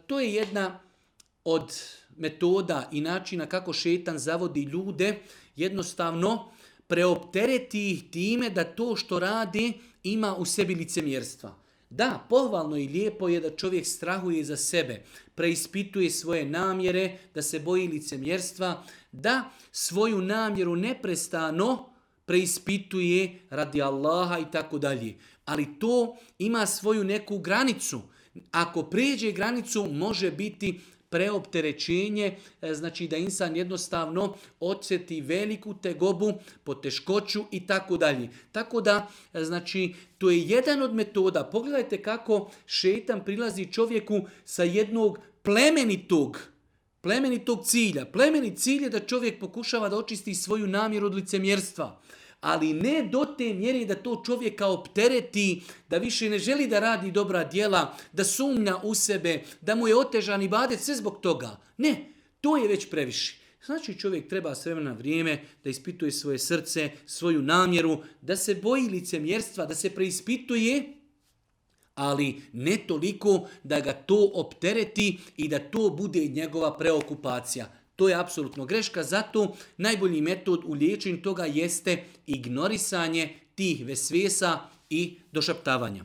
To je jedna od metoda i načina kako šetan zavodi ljude, jednostavno preoptereti ih time da to što radi ima u sebi licemjerstva. Da, pohvalno i lijepo je da čovjek strahuje za sebe, preispituje svoje namjere, da se boji licemjerstva, da svoju namjeru neprestano preispituje radi Allaha i tako dalje. Ali to ima svoju neku granicu. Ako prijeđe granicu može biti preopterećenje, znači da insan jednostavno osjeti veliku tegobu, poteškoću i tako dalje. Tako da, znači, to je jedan od metoda. Pogledajte kako šejtan prilazi čovjeku sa jednog plemenitog cilja. Plemenit cilj je da čovjek pokušava da očisti svoju namjeru od licemjerstva. Ali ne do te mjere da to čovjeka optereti, da više ne želi da radi dobra djela, da sumnja u sebe, da mu je otežan ibadet, sve zbog toga. Ne, to je već previše. Znači čovjek treba s vremena na vrijeme da ispituje svoje srce, svoju namjeru, da se boji licemjerstva, da se preispituje, ali ne toliko da ga to optereti i da to bude njegova preokupacija. To je apsolutno greška, zato najbolji metod u liječenju toga jeste ignorisanje tih vesvesa i došaptavanja.